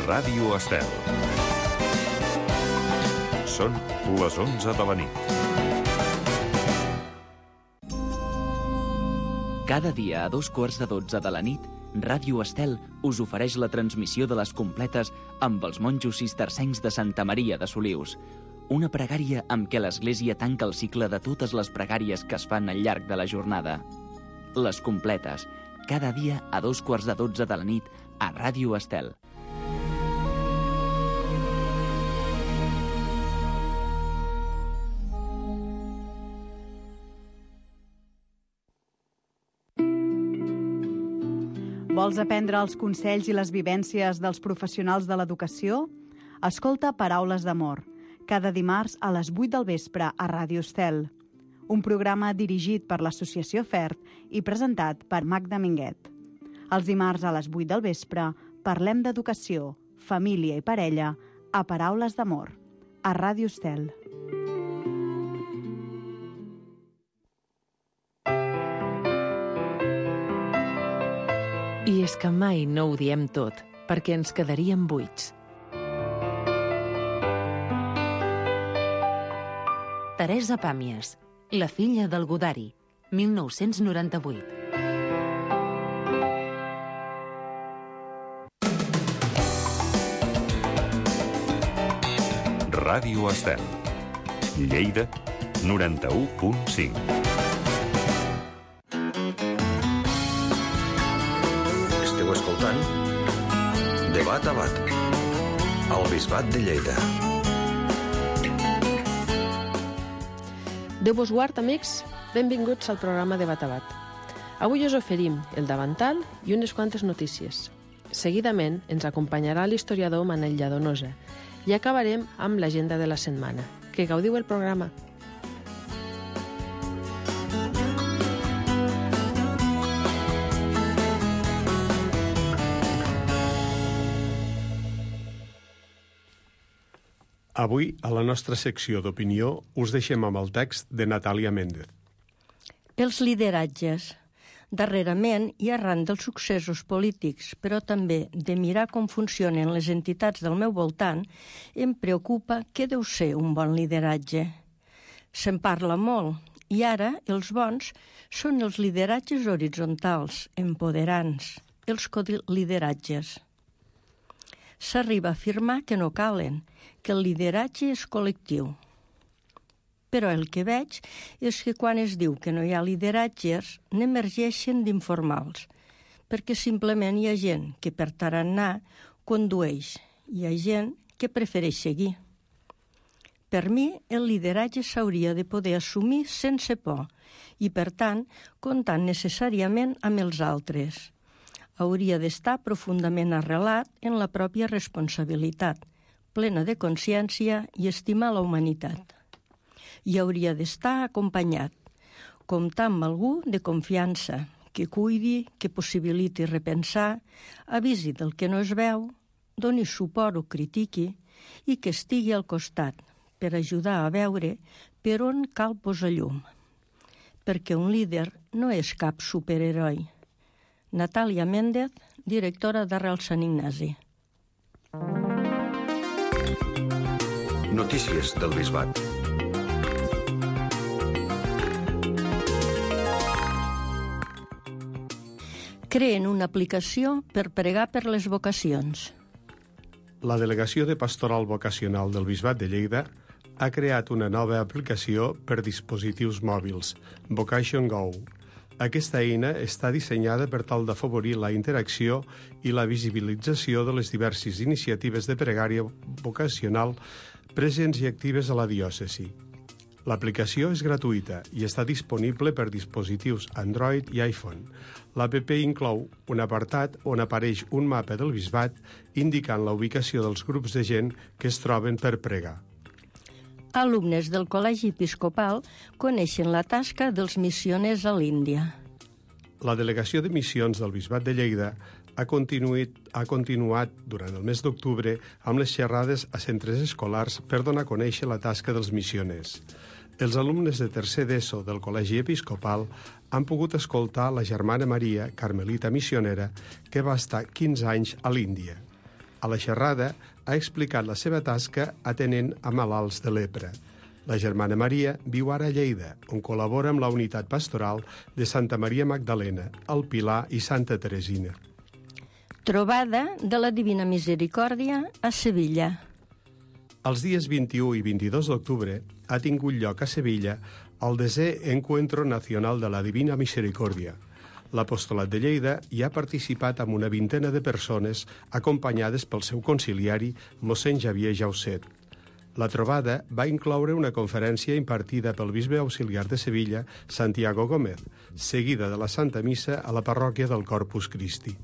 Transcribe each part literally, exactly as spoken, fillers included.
Ràdio Estel. Són les onze de la nit. Cada dia a dos quarts de dotze de la nit, Ràdio Estel us ofereix la transmissió de les completes amb els monjos cistercencs de Santa Maria de Solius. Una pregària amb què l'Església tanca el cicle de totes les pregàries que es fan al llarg de la jornada. Les completes, cada dia a dos quarts de dotze de la nit a Ràdio Estel. Vols aprendre els consells i les vivències dels professionals de l'educació? Escolta Paraules d'Amor, cada dimarts a les vuit del vespre a Ràdio Estel. Un programa dirigit per l'Associació FERT i presentat per Magda Minguet. Els dimarts a les vuit del vespre parlem d'educació, família i parella a Paraules d'Amor, a Ràdio Estel. I és que mai no ho diem tot, perquè ens quedaríem buits. Teresa Pàmies, la filla del Godari, mil nou-cents noranta-vuit. Ràdio Estel. Lleida, noranta-u punt cinc. Esteu escoltant De Bat a Bat, al Bisbat de Lleida. Déu vos guard, amics. Benvinguts al programa de Bat a Bat. Avui us oferim el davantal i unes quantes notícies. Seguidament ens acompanyarà l'historiador Manel Lladonosa i acabarem amb l'agenda de la setmana. Que gaudiu el programa. Avui, a la nostra secció d'opinió, us deixem amb el text de Natàlia Méndez. Els lideratges. Darrerament, i arran dels successos polítics, però també de mirar com funcionen les entitats del meu voltant, em preocupa què deu ser un bon lideratge. Se'n parla molt, i ara els bons són els lideratges horitzontals, empoderants, els colideratges. S'arriba a afirmar que no calen, que el lideratge és col·lectiu. Però el que veig és que quan es diu que no hi ha lideratges, n'emergeixen d'informals, perquè simplement hi ha gent que per tarannà condueix, hi ha gent que prefereix seguir. Per mi, el lideratge s'hauria de poder assumir sense por i, per tant, comptant necessàriament amb els altres. Hauria d'estar profundament arrelat en la pròpia responsabilitat, plena de consciència i estimar la humanitat. I hauria d'estar acompanyat, comptar amb algú de confiança, que cuidi, que possibiliti repensar, avisi del que no es veu, doni suport o critiqui i que estigui al costat per ajudar a veure per on cal posar llum. Perquè un líder no és cap superheroi. Natàlia Méndez, directora d'Arrel Sant Ignasi. Notícies del Bisbat. Creen una aplicació per pregar per les vocacions. La Delegació de Pastoral Vocacional del Bisbat de Lleida ha creat una nova aplicació per dispositius mòbils, Vocation Go. Aquesta eina està dissenyada per tal d'afavorir la interacció i la visibilització de les diverses iniciatives de pregària vocacional presents i actives a la diòcesi. L'aplicació és gratuïta i està disponible per dispositius Android i iPhone. L'app inclou un apartat on apareix un mapa del bisbat indicant la ubicació dels grups de gent que es troben per pregar. Alumnes del Col·legi Episcopal coneixen la tasca dels missioners a l'Índia. La Delegació de Missions del Bisbat de Lleida ha continuat, ha continuat durant el mes d'octubre amb les xerrades a centres escolars per donar a conèixer la tasca dels missioners. Els alumnes de tercer d'ESO del Col·legi Episcopal han pogut escoltar la germana Maria, carmelita missionera, que va estar quinze anys a l'Índia. A la xerrada ha explicat la seva tasca atenent a malalts de lepra. La germana Maria viu ara a Lleida, on col·labora amb la unitat pastoral de Santa Maria Magdalena, el Pilar i Santa Teresina. Trobada de la Divina Misericòrdia a Sevilla. Els dies vint-i-u i vint-i-dos d'octubre ha tingut lloc a Sevilla el desè Encuentro Nacional de la Divina Misericòrdia. L'Apostolat de Lleida hi ha participat amb una vintena de persones acompanyades pel seu conciliari, mossèn Xavier Jauset. La trobada va incloure una conferència impartida pel bisbe auxiliar de Sevilla, Santiago Gómez, seguida de la Santa Missa a la parròquia del Corpus Christi.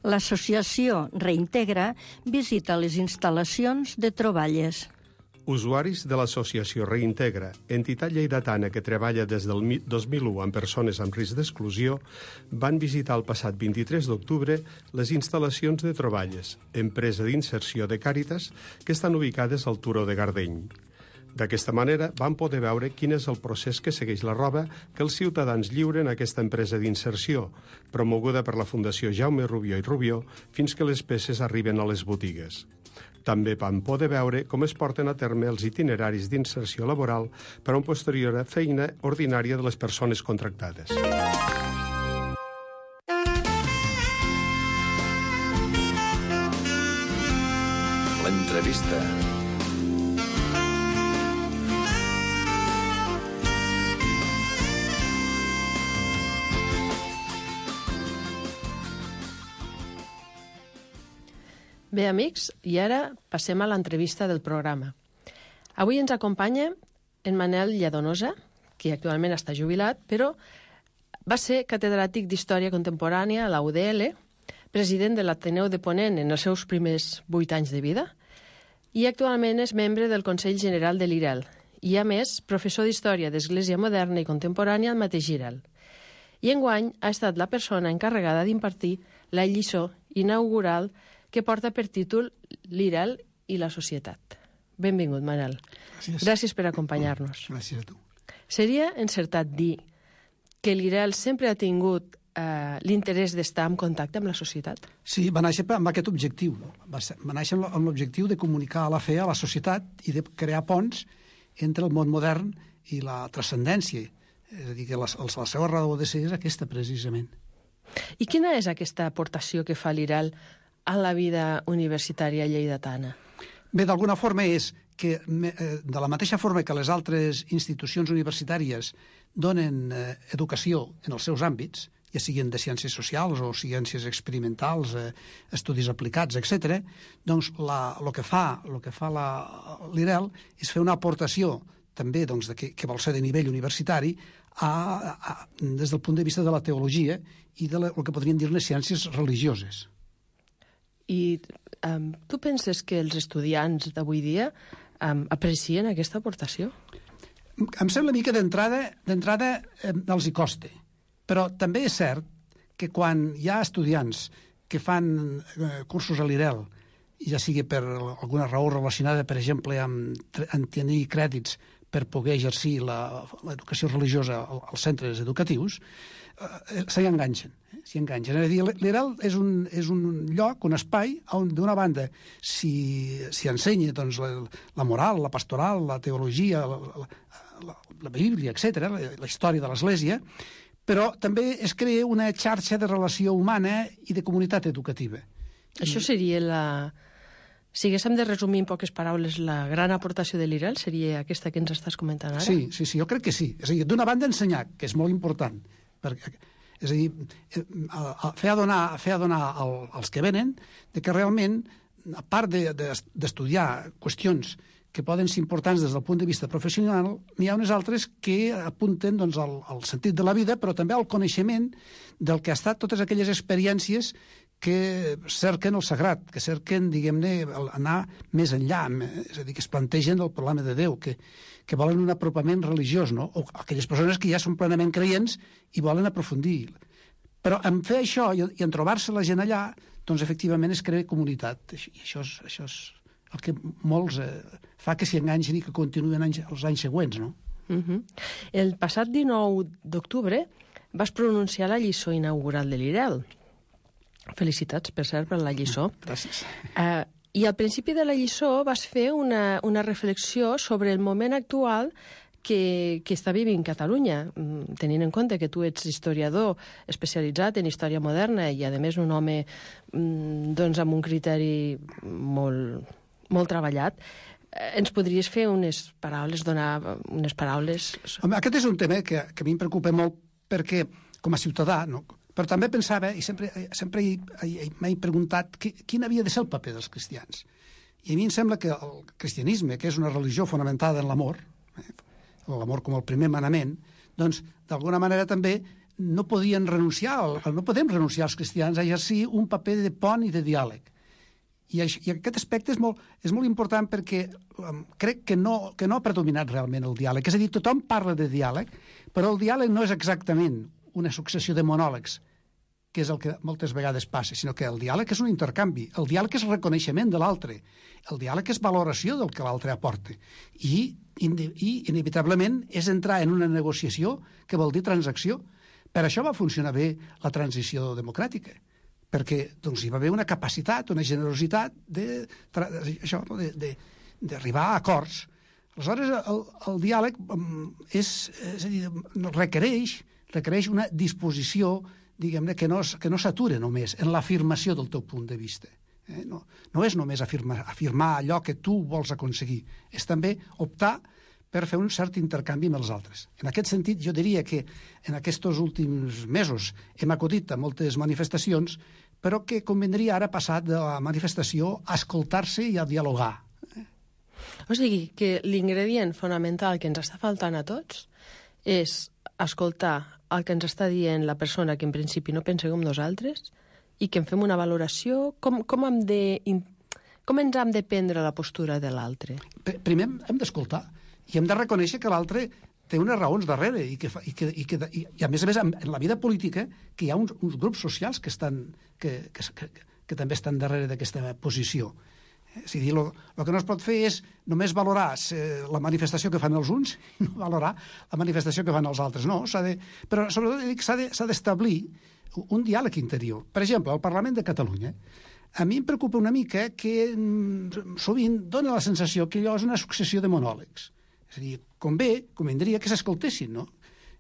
L'associació Reintegra visita les instal·lacions de troballes. Usuaris de l'associació Reintegra, entitat lleidatana que treballa des del dos mil u amb persones amb risc d'exclusió, van visitar el passat vint-i-tres d'octubre les instal·lacions de Troballes, empresa d'inserció de Càritas, que estan ubicades al Turó de Gardeny. D'aquesta manera van poder veure quin és el procés que segueix la roba que els ciutadans lliuren a aquesta empresa d'inserció, promoguda per la Fundació Jaume Rubió i Rubió, fins que les peces arriben a les botigues. També van poder veure com es porten a terme els itineraris d'inserció laboral per a una posterior feina ordinària de les persones contractades. L'entrevista. Bé, amics, i ara passem a l'entrevista del programa. Avui ens acompanya en Manel Lladonosa, que actualment està jubilat, però va ser catedràtic d'Història Contemporània a la U D L, president de l'Ateneu de Ponent en els seus primers vuit anys de vida, i actualment és membre del Consell General de l'I R E L, i a més, professor d'Història d'Església Moderna i Contemporània al mateix I R E L. I enguany ha estat la persona encarregada d'impartir la lliçó inaugural que porta per títol l'I R E L i la societat. Benvingut, Manel. Gràcies. Gràcies per acompanyar-nos. Gràcies a tu. Seria encertat dir que l'I R E L sempre ha tingut eh, l'interès d'estar en contacte amb la societat? Sí, va néixer amb aquest objectiu. No? Va, ser, va néixer amb l'objectiu de comunicar la fe a la societat i de crear ponts entre el món modern i la transcendència. És a dir, que la, la seva raó de ser és aquesta, precisament. I quina és aquesta aportació que fa l'I R E L a la vida universitària lleidatana? Bé, d'alguna forma és que, de la mateixa forma que les altres institucions universitàries donen eh, educació en els seus àmbits, ja siguin de ciències socials o ciències experimentals, eh, estudis aplicats, etcètera, doncs la, lo que fa, lo que fa l'I R E L és fer una aportació també doncs, de que, que vol ser de nivell universitari a, a, des del punt de vista de la teologia i de la, el que podríem dir les ciències religioses. I um, tu penses que els estudiants d'avui dia um, aprecien aquesta aportació? Em sembla a mi que d'entrada d'entrada eh, els hi costa, però també és cert que quan hi ha estudiants que fan eh, cursos a l'I R E L, ja sigui per alguna raó relacionada, per exemple, amb, amb tenir crèdits per poder exercir l'educació religiosa als centres educatius, eh, s'hi enganxen. s'hi enganxen. És a dir, l'I R E L és un, és un lloc, un espai, on d'una banda s'hi ensenya doncs, la, la moral, la pastoral, la teologia, la, la, la, la Bíblia, etcètera, la, la història de l'Església, però també es crea una xarxa de relació humana i de comunitat educativa. Això seria la... Si haguéssim de resumir en poques paraules la gran aportació de l'I R E L, seria aquesta que ens estàs comentant ara? Sí, sí, sí, jo crec que sí. És a dir, d'una banda ensenyar, que és molt important, perquè, és a dir, fer adonar, fer adonar el, als que venen de que realment, a part d'estudiar de, de, qüestions que poden ser importants des del punt de vista professional, n'hi ha unes altres que apunten doncs, al, al sentit de la vida, però també al coneixement del que ha estat totes aquelles experiències que cerquen el sagrat, que cerquen, diguem-ne, anar més enllà, és a dir, que es plantegen el problema de Déu, que, que volen un apropament religiós, no? O aquelles persones que ja són plenament creients i volen aprofundir. Però en fer això i en trobar-se la gent allà, doncs efectivament es crea comunitat. I això és, això és el que molts eh, fa que s'hi enganxin i que continuen anys, els anys següents, no? Uh-huh. El passat dinou d'octubre vas pronunciar la lliçó inaugural de l'I R E L. Felicitats, per cert, per la lliçó. Gràcies. Uh, I al principi de la lliçó vas fer una, una reflexió sobre el moment actual que, que està vivint Catalunya, tenint en compte que tu ets historiador especialitzat en història moderna i, a més, un home doncs, amb un criteri molt, molt treballat. Ens podries fer unes paraules, donar unes paraules... Home, aquest és un tema que, que a mi em preocupa molt perquè, com a ciutadà, no? Però també pensava, i sempre, sempre m'he preguntat qui, quin havia de ser el paper dels cristians. I a mi em sembla que el cristianisme, que és una religió fonamentada en l'amor, eh, l'amor com el primer manament, doncs, d'alguna manera també no podien renunciar, no podem renunciar els cristians a exercir un paper de pont i de diàleg. I, això, i aquest aspecte és molt, és molt important perquè um, crec que no, que no ha predominat realment el diàleg. És a dir, tothom parla de diàleg, però el diàleg no és exactament una successió de monòlegs, que és el que moltes vegades passa, sinó que el diàleg és un intercanvi, el diàleg és reconeixement de l'altre, el diàleg és valoració del que l'altre aporta, i, i inevitablement és entrar en una negociació que vol dir transacció. Per això va funcionar bé la transició democràtica, perquè doncs, hi va haver una capacitat, una generositat de, això, de, de, d'arribar a acords. Aleshores, el, el diàleg és, és a dir, requereix, requereix una disposició, diguem-ne, que no, que no s'ature només en l'afirmació del teu punt de vista. Eh? No, no és només afirmar, afirmar allò que tu vols aconseguir, és també optar per fer un cert intercanvi amb els altres. En aquest sentit, jo diria que en aquests últims mesos hem acudit a moltes manifestacions, però que convindria ara passar de la manifestació a escoltar-se i a dialogar. Eh? O sigui, que l'ingredient fonamental que ens està faltant a tots és escoltar el que ens està dient la persona que en principi no pensa com nosaltres i que en fem una valoració, com, com, hem de, com ens hem de prendre la postura de l'altre? Primer hem d'escoltar i hem de reconèixer que l'altre té unes raons darrere i que, i, que, i, que, i, i a més a més en la vida política que hi ha uns, uns grups socials que, estan, que, que, que, que també estan darrere d'aquesta posició. És a dir, el que no es pot fer és només valorar la manifestació que fan els uns i no valorar la manifestació que fan els altres. No, s'ha de, però sobretot s'ha de, s'ha d'establir un diàleg interior. Per exemple, al Parlament de Catalunya, a mi em preocupa una mica que sovint dona la sensació que allò és una successió de monòlegs. És a dir, convé, convindria que s'escoltessin, no?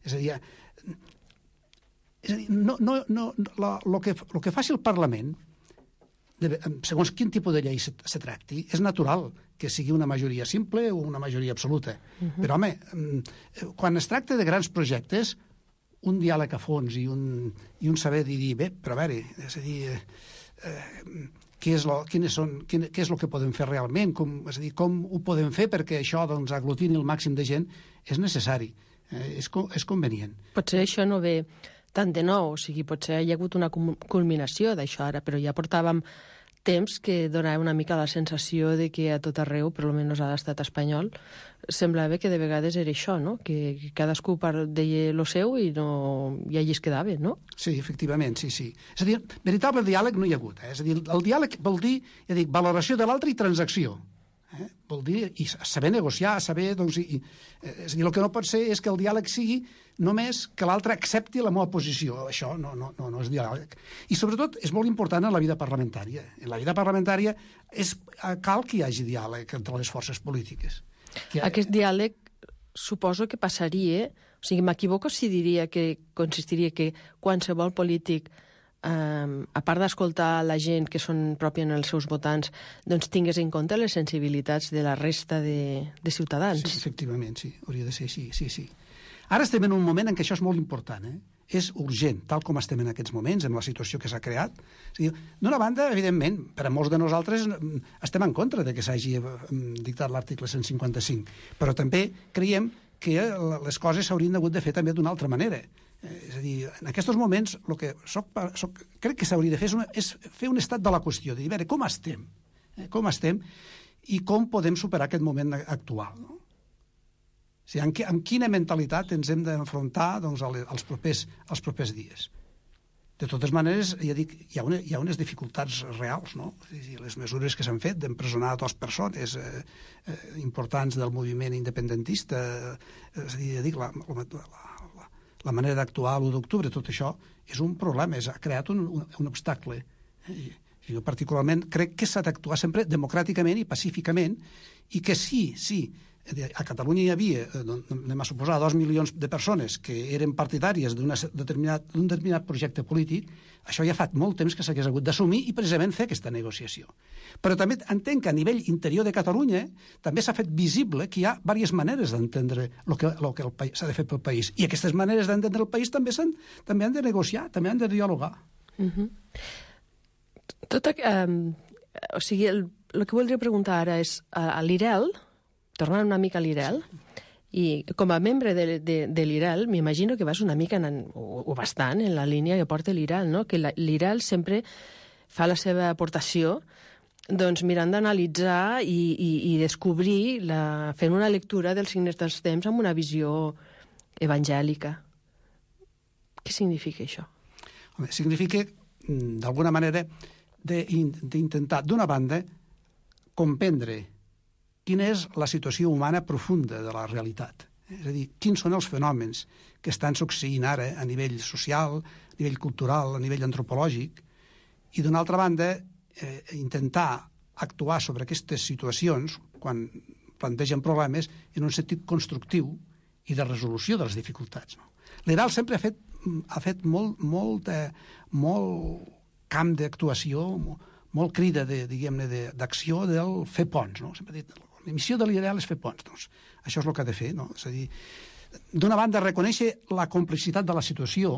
És a dir, és a dir no, no, no, la, lo, que, lo que faci el Parlament, de, segons quin tipus de llei se, se tracti, és natural que sigui una majoria simple o una majoria absoluta. Uh-huh. Però, home, quan es tracta de grans projectes, un diàleg a fons i un, i un saber dir, bé, però a veure, és a dir, eh, què és lo, quines són, quin, què és el que podem fer realment, com, és a dir, com ho podem fer perquè això doncs, aglutini el màxim de gent, és necessari, eh, és, és convenient. Potser això no ve tant de nou, o sigui, potser hi ha hagut una culminació d'això ara, però ja portàvem temps que donava una mica la sensació de que a tot arreu, per almenys a l'estat espanyol, semblava que de vegades era això, no? Que cadascú deia el seu i, no, i allí es quedava, no? Sí, efectivament, sí, sí. És a dir, veritable diàleg no hi ha hagut. Eh? És a dir, el diàleg vol dir, ja dic, valoració de l'altre i transacció. Eh? Vol dir, i saber negociar, saber, doncs, i, és a dir, el que no pot ser és que el diàleg sigui només que l'altre accepti la meva posició. Això no, no, no, no és diàleg. I sobretot és molt important en la vida parlamentària. En la vida parlamentària és, cal que hi hagi diàleg entre les forces polítiques. Que... Aquest diàleg suposo que passaria, o sigui, m'equivoco si diria que consistiria que qualsevol polític, Um, a part d'escoltar la gent que són pròpia en els seus votants, doncs tingués en compte les sensibilitats de la resta de, de ciutadans. Sí, efectivament, sí, hauria de ser així, sí, sí. Ara estem en un moment en què això és molt important, eh? És urgent, tal com estem en aquests moments, amb la situació que s'ha creat. O sigui, d'una banda, evidentment, per a molts de nosaltres estem en contra de que s'hagi dictat l'article cent cinquanta-cinc, però també creiem que les coses s'haurien hagut de fer també d'una altra manera. És a dir, en aquests moments el que soc, soc, crec que s'hauria de fer és, una, és fer un estat de la qüestió, de dir, a veure, com estem? Eh, com estem i com podem superar aquest moment actual, no? O sigui, amb, amb quina mentalitat ens hem d'enfrontar doncs, als, propers, als propers dies. De totes maneres, ja dic, hi ha, una, hi ha unes dificultats reals, no? Les mesures que s'han fet d'empresonar dues persones eh, eh, importants del moviment independentista, eh, és a dir, ja dic, la, la, la, la manera d'actuar l'u d'octubre, tot això és un problema, és, ha creat un, un, un obstacle Jo particularment crec que s'ha d'actuar sempre democràticament i pacíficament, i que sí, sí, a Catalunya hi havia, anem a suposar, dos milions de persones que eren partidàries d'un determinat, d'un determinat projecte polític, això ja fa molt temps que s'hagués hagut d'assumir i precisament fer aquesta negociació. Però també entenc que a nivell interior de Catalunya també s'ha fet visible que hi ha diverses maneres d'entendre el que, el que s'ha de fer pel país. I aquestes maneres d'entendre el país també, també han de negociar, també han de dialogar. Uh-huh. Tot, um, o sigui, el, el que voldria preguntar ara és, a, a l'I R E L, tornant una mica a l'I R E L, i com a membre de, de, de l'I R E L, m'imagino que vas una mica, en, o, o bastant, en la línia que porta l'I R E L, no? Que l'I R E L sempre fa la seva aportació doncs, mirant d'analitzar i, i, i descobrir, la, fent una lectura dels signes dels temps amb una visió evangèlica. Què significa això? Home, significa, d'alguna manera, d'intentar, d'una banda, comprendre quina és la situació humana profunda de la realitat. És a dir, quins són els fenòmens que estan succeint ara a nivell social, a nivell cultural, a nivell antropològic, i d'una altra banda, eh, intentar actuar sobre aquestes situacions, quan plantegen problemes, en un sentit constructiu i de resolució de les dificultats. No? L'I R E L sempre ha fet, ha fet molt, molt, eh, molt camp d'actuació, molt, molt crida de, diguem-ne, d'acció del fer ponts. No? Sempre he dit, la missió de l'I R E L és fer ponts. Doncs això és el que ha de fer. No? És a dir, d'una banda, reconèixer la complexitat de la situació,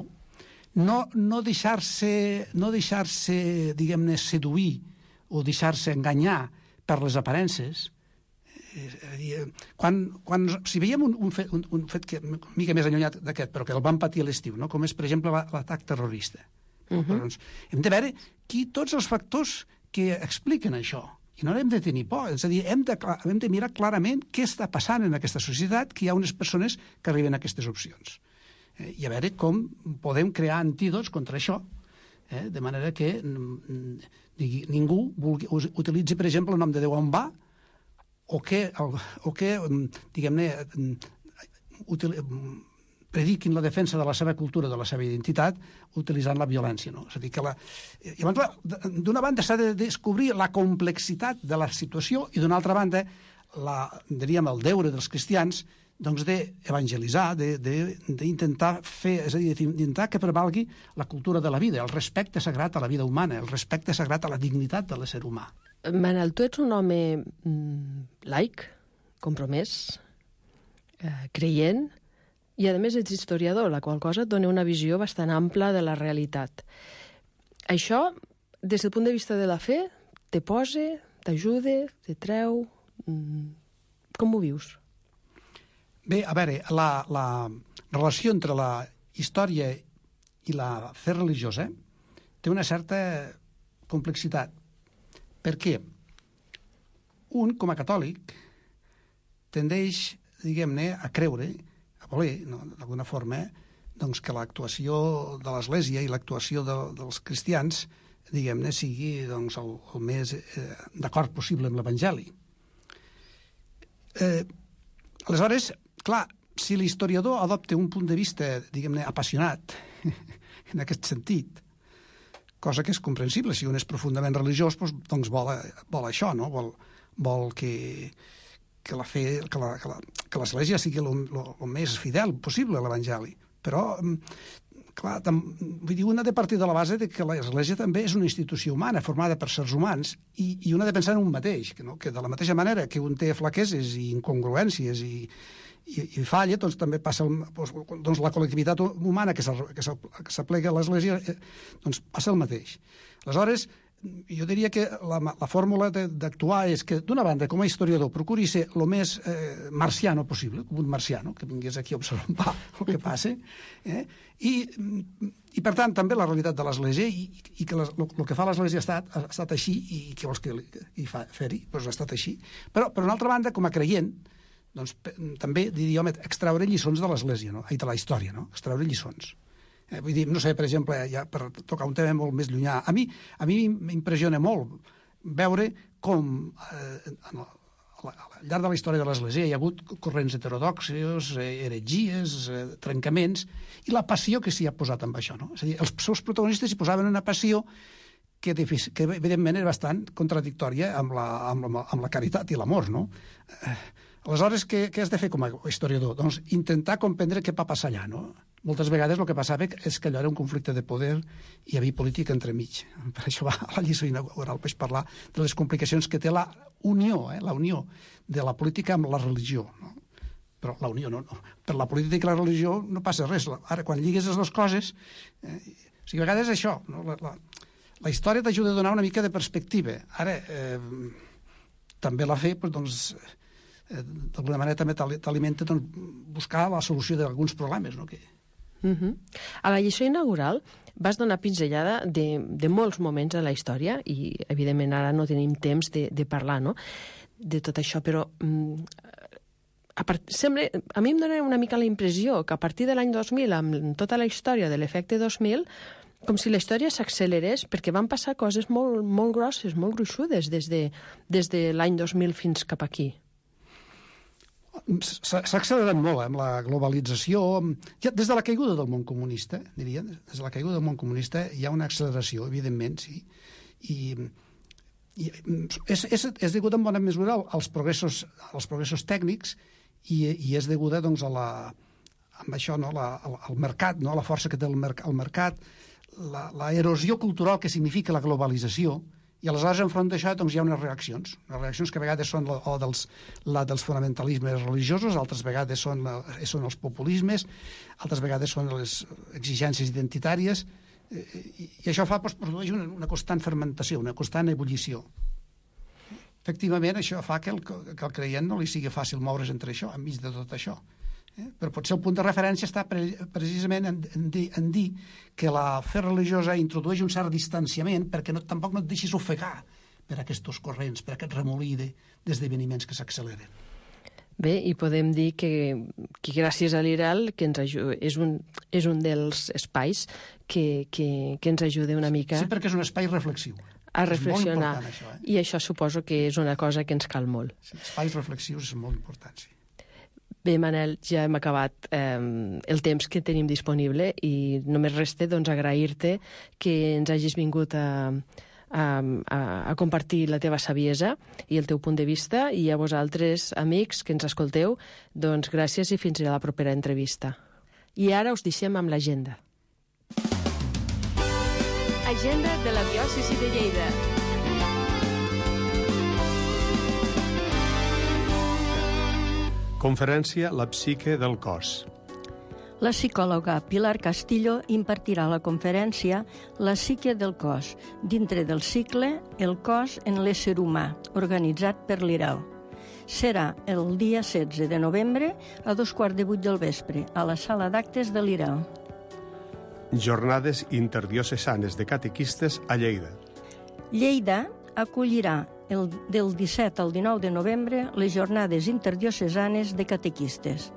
no, no deixar-se, no deixar-se, diguem-ne, seduir o deixar-se enganyar per les aparences. És a dir, quan, quan, si veiem un, un, fet, un, un fet que una mica més allunyat d'aquest, però que el vam patir a l'estiu, no? Com és, per exemple, l'atac terrorista. Uh-huh. Doncs, hem de veure qui, tots els factors que expliquen això. I no hem de tenir por, és a dir, hem de, hem de mirar clarament què està passant en aquesta societat, que hi ha unes persones que arriben a aquestes opcions. Eh, I a veure com podem crear antídots contra això, eh, de manera que digui, ningú vulgui, utilitzi, per exemple, el nom de Déu on va, o que, o que diguem-ne, util, prediquin la defensa de la seva cultura, de la seva identitat, utilitzant la violència. No? És a dir, que la... d'una banda s'ha de descobrir la complexitat de la situació i d'una altra banda, la, diríem, el deure dels cristians doncs d'evangelitzar, d'intentar fer, és a dir, d'intentar que prevalgui la cultura de la vida, el respecte sagrat a la vida humana, el respecte sagrat a la dignitat de l'ésser humà. Manel, tu ets un home mm, laic, compromès, eh, creient, i, a més, ets historiador, la qual cosa et dona una visió bastant ampla de la realitat. Això, des del punt de vista de la fe, te posa, t'ajuda, te treu... Com ho vius? Bé, a veure, la, la relació entre la història i la fe religiosa té una certa complexitat. Per què? Un, com a catòlic, tendeix, diguem-ne, a creure, a voler, no, d'alguna forma, doncs que l'actuació de l'Església i l'actuació de, dels cristians, diguem-ne, sigui doncs, el, el més eh, d'acord possible amb l'Evangeli. Eh, aleshores, clar, si l'historiador adopta un punt de vista, diguem-ne, apassionat, en aquest sentit, cosa que és comprensible, si un és profundament religiós, doncs, doncs vol, vol això, no? Vol, vol que... que la fe, que la, que la, que l'Església sigui el més fidel possible a l'Evangeli. Però, clar, tam, vull dir, una ha de partir de la base de que l'Església també és una institució humana, formada per sers humans, i, i una ha de pensar en un mateix, que, no? Que de la mateixa manera que un té flaqueses i incongruències i, i, i falla, doncs també passa el, doncs, la col·lectivitat humana que s'aplega a l'Església, eh, doncs passa el mateix. Aleshores, jo diria que la, la fórmula d'actuar és que, d'una banda, com a historiador, procuri ser el més eh, marciano possible, com un marciano, que vingués aquí a observar el que passa, eh? I, i, per tant, també la realitat de l'Església i, i que el que fa l'Església ha estat, ha estat així i què vols que hi fa, fer-hi? Doncs ha estat així. Però, per una altra banda, com a creient, doncs, també, diria, home, extraure lliçons de l'Església, no? I de la història, no? Extraure lliçons. Eh, vull dir, no sé, per exemple, ja per tocar un tema molt més llunyà, a mi a mi m'impressiona molt veure com eh, al, al llarg de la història de l'Església hi ha hagut corrents heterodoxos, eh, heretgies, eh, trencaments, i la passió que s'hi ha posat amb això, no? És a dir, els seus protagonistes hi posaven una passió que, que evidentment és bastant contradictòria amb la, amb la, amb la caritat i l'amor, no? Eh, aleshores, què, què has de fer com a historiador? Doncs intentar comprendre què va passar allà, no? Moltes vegades el que passava és que allò era un conflicte de poder i hi havia política entremig. Per això va a la lliçó inaugural, vaig parlar de les complicacions que té la unió, eh, la unió de la política amb la religió, no? Però la unió no, no. Per la política i la religió no passa res. Ara, quan lligues les dues coses... Eh, o sigui, a vegades és això, no? La, la, la història t'ajuda a donar una mica de perspectiva. Ara, eh, també la fe, doncs, eh, d'alguna manera també t'alimenta doncs, buscar la solució d'alguns problemes, no? Que... Uh -huh. A la lliçó inaugural vas donar pinzellada de, de molts moments de la història i, evidentment, ara no tenim temps de, de parlar, no?, de tot això, però mm, a, part, sembla, a mi em dona una mica la impressió que a partir de l'any dos mil, amb tota la història de l'efecte dos mil, com si la història s'accelerés perquè van passar coses molt, molt grosses, molt gruixudes des de, des de l'any dos mil fins cap aquí. S'ha accelerat molt amb la globalització. Ja des de la caiguda del món comunista, diria, des de la caiguda del món comunista hi ha una acceleració, evidentment, sí. I, i és, és, és degut en bona mesura als progressos, als progressos tècnics i, i és deguda doncs, a la, amb això, no, la, al mercat, no, a la força que té el, mer el mercat, la, la erosió cultural que significa la globalització. I aleshores, enfront d'això, doncs, hi ha unes reaccions. Unes reaccions que a vegades són la, o dels, la dels fonamentalismes religiosos, altres vegades són, la, són els populismes, altres vegades són les exigències identitàries, i, i això fa, doncs, produeix una, una constant fermentació, una constant ebullició. Efectivament, això fa que el, que el creient no li sigui fàcil moure's entre això, enmig de tot això. Eh? Però potser el punt de referència està pre precisament en, en, dir, en dir que la fe religiosa introdueix un cert distanciament perquè no, tampoc no et deixis ofegar per aquests corrents, per aquest remolí d'esdeveniments que s'acceleren. Bé, i podem dir que, que gràcies a l'I R A L que ens és, un, és un dels espais que, que, que ens ajuda una mica... Sí, perquè és un espai reflexiu. A reflexionar. Això, eh? I això suposo que és una cosa que ens cal molt. Sí, espais reflexius són molt importants, sí. Bé, Manel, ja hem acabat eh, el temps que tenim disponible i només resta doncs, agrair-te que ens hagis vingut a, a, a, a compartir la teva saviesa i el teu punt de vista, i a vosaltres, amics, que ens escolteu, doncs gràcies i fins a la propera entrevista. I ara us deixem amb l'agenda. Agenda de la diòcesi de Lleida. Conferència La psique del cos. La psicòloga Pilar Castillo impartirà la conferència La psique del cos, dintre del cicle El cos en l'ésser humà, organitzat per l'I R A L. Serà el dia setze de novembre a dos quarts de vuit del vespre, a la sala d'actes de l'I R A L. Jornades interdiocesanes de catequistes a Lleida. Lleida acollirà el, del disset al dinou de novembre les jornades interdiocesanes de catequistes.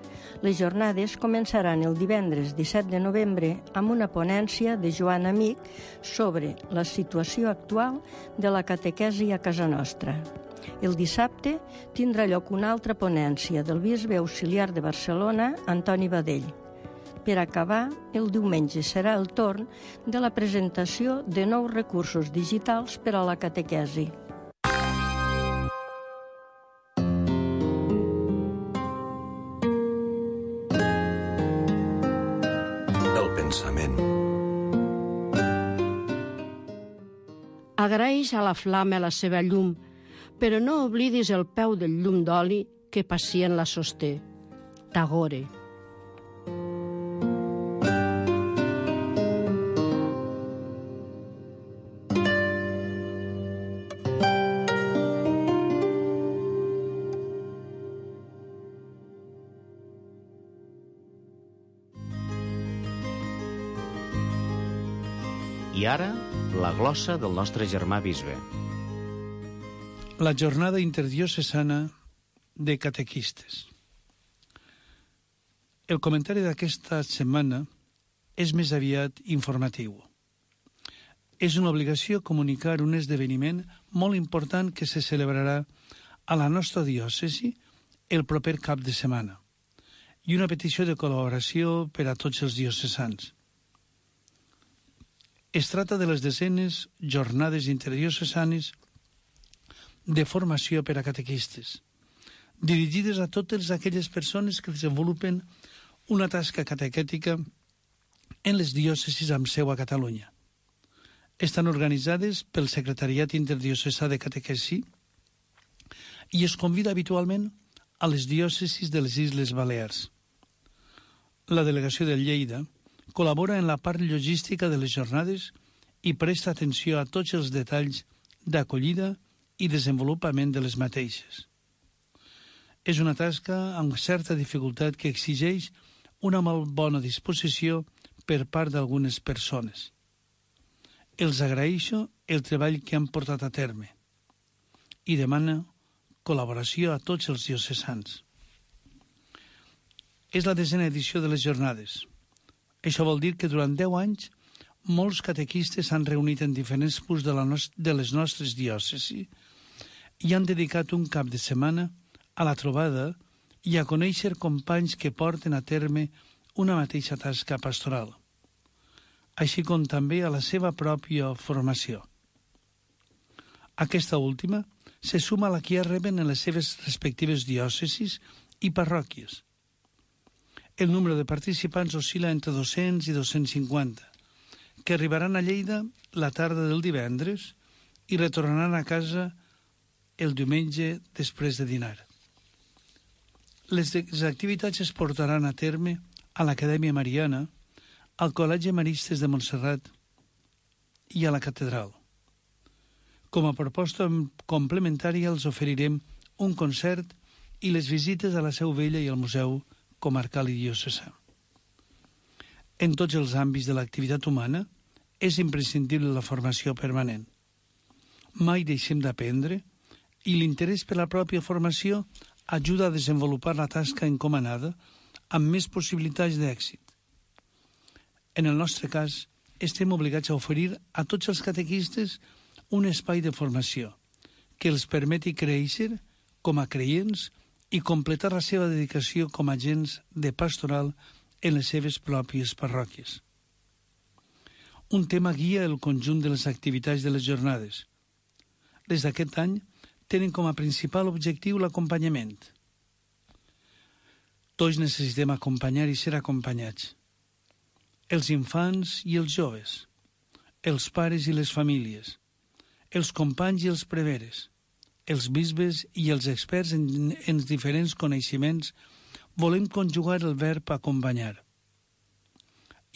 Les jornades començaran el divendres disset de novembre amb una ponència de Joan Amic sobre la situació actual de la catequesi a casa nostra. El dissabte tindrà lloc una altra ponència del bisbe auxiliar de Barcelona, Antoni Badell. Per acabar, el diumenge serà el torn de la presentació de nous recursos digitals per a la catequesi. El pensament. Agraeix a la flama la seva llum, però no oblidis el peu del llum d'oli que pacient la sosté. Tagore. I ara, la glossa del nostre germà bisbe. La jornada interdiocesana de catequistes. El comentari d'aquesta setmana és més aviat informatiu. És una obligació comunicar un esdeveniment molt important que se celebrarà a la nostra diòcesi el proper cap de setmana i una petició de col·laboració per a tots els diocesans. Es tracta de les desenes jornades interdiocesanes de formació per a catequistes, dirigides a totes aquelles persones que desenvolupen una tasca catequètica en les diòcesis amb seu a Catalunya. Estan organitzades pel Secretariat Interdiocesà de Catequesi i es convida habitualment a les diòcesis de les Illes Balears. La delegació de Lleida col·labora en la part logística de les jornades i presta atenció a tots els detalls d'acollida i desenvolupament de les mateixes. És una tasca amb certa dificultat que exigeix una molt bona disposició per part d'algunes persones. Els agraeixo el treball que han portat a terme i demana col·laboració a tots els diocesans. És la desena edició de les jornades. Això vol dir que durant deu anys molts catequistes s'han reunit en diferents punts de, la no de les nostres diòcesis i han dedicat un cap de setmana a la trobada i a conèixer companys que porten a terme una mateixa tasca pastoral, així com també a la seva pròpia formació. Aquesta última se suma a la que ja reben en les seves respectives diòcesis i parròquies. El número de participants oscil·la entre dos-cents i dos-cents cinquanta, que arribaran a Lleida la tarda del divendres i retornaran a casa el diumenge després de dinar. Les activitats es portaran a terme a l'Acadèmia Mariana, al Col·legi Maristes de Montserrat i a la Catedral. Com a proposta complementària els oferirem un concert i les visites a la Seu Vella i al Museu Comarcal i Diocesà. En tots els àmbits de l'activitat humana és imprescindible la formació permanent. Mai deixem d'aprendre i l'interès per la pròpia formació ajuda a desenvolupar la tasca encomanada amb més possibilitats d'èxit. En el nostre cas, estem obligats a oferir a tots els catequistes un espai de formació que els permeti créixer com a creients i completar la seva dedicació com a agents de pastoral en les seves pròpies parròquies. Un tema guia el conjunt de les activitats de les jornades. Les d'aquest any tenen com a principal objectiu l'acompanyament. Tots necessitem acompanyar i ser acompanyats. Els infants i els joves, els pares i les famílies, els companys i els preveres, els bisbes i els experts en, en diferents coneixements volem conjugar el verb acompanyar.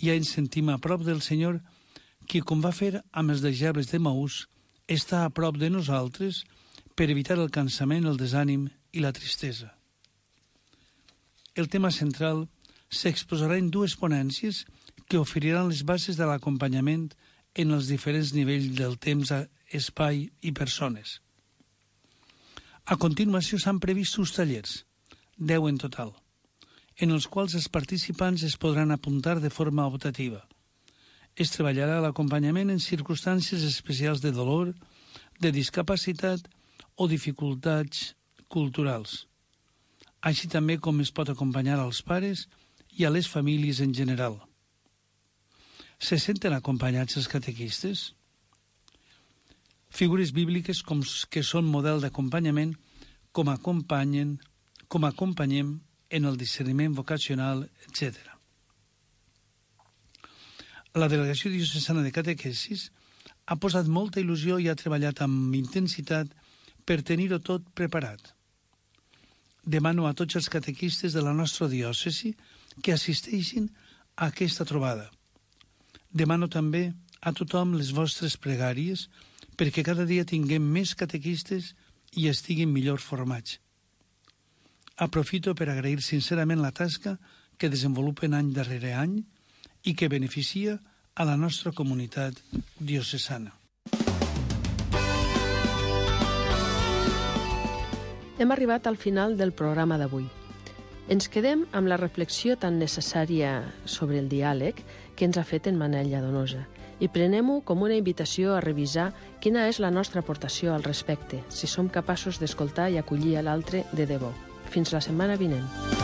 Ja ens sentim a prop del Senyor, qui, com va fer amb els deixebles de Maús, està a prop de nosaltres per evitar el cansament, el desànim i la tristesa. El tema central s'exposarà en dues ponències que oferiran les bases de l'acompanyament en els diferents nivells del temps, espai i persones. A continuació s'han previst uns tallers, deu en total, en els quals els participants es podran apuntar de forma optativa. Es treballarà l'acompanyament en circumstàncies especials de dolor, de discapacitat o dificultats culturals, així també com es pot acompanyar als pares i a les famílies en general. Se senten acompanyats els catequistes? Figures bíbliques com que són model d'acompanyament com acompanyen, com acompanyem en el discerniment vocacional, etcètera. La Delegació Diocesana de Catequesis ha posat molta il·lusió i ha treballat amb intensitat per tenir-ho tot preparat. Demano a tots els catequistes de la nostra diòcesi que assisteixin a aquesta trobada. Demano també a tothom les vostres pregàries perquè cada dia tinguem més catequistes i estiguin millor formats. Aprofito per agrair sincerament la tasca que desenvolupen any darrere any i que beneficia a la nostra comunitat diocesana. Hem arribat al final del programa d'avui. Ens quedem amb la reflexió tan necessària sobre el diàleg que ens ha fet en Manel Lladonosa i prenem-ho com una invitació a revisar quina és la nostra aportació al respecte, si som capaços d'escoltar i acollir a l'altre de debò. Fins la setmana vinent.